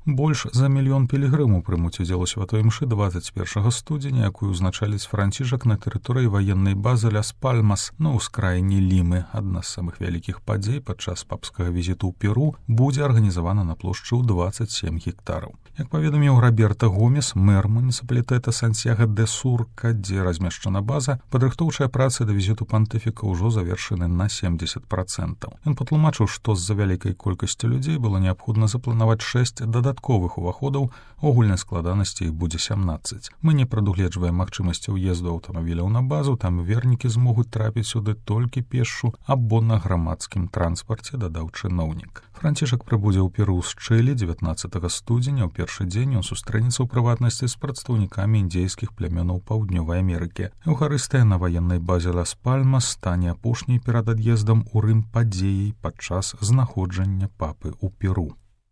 Больш за мільён пілігрымаў прымуць удзел у святой імшы 21 студзеня, якую ўзначаліць Францішак на тэрыторыі ваеннай базы Ляс-Пальмас на ўскраіне Лімы. Адна з самых вялікіх падзей падчас папскага візіту ў Перу будзе арганізавана на плошчы ў 27 гектараў. Як паведаміў Роберто Гомес, мэр муніцыпалітэта Сантьяго-де-Сурка, дзе размешчана база, падрыхтоўчыя працы да візіту пантыфіка ўжо завершаны на 70%. Ён патлумачыў, што з-за вялікай колькасці людзей было неабходна запланаваць 6 дадатковых уваходаў, агульнай складанасці іх будзе 17. Мы не прадугледжваем магчымасці ўезду аўтамабіляў на базу, там вернікі змогуць трапіць сюды толькі пешшу або на грамадскім транспарце, дадаў чыноўнік. Францішак прыбудзе ў Перу з Чылі 19 студзеня. У першы дзень ён сустрэнецца ў прыватнасці з прадстаўнікамі індзейскіх плямёнаў Паўднёвай Амерыкі. Еўхарыстыя на ваеннай базе Лас-Пальмас стане апошняй перад ад'ездам у Рым падзеяй падчас знаходжання папы ў Перу.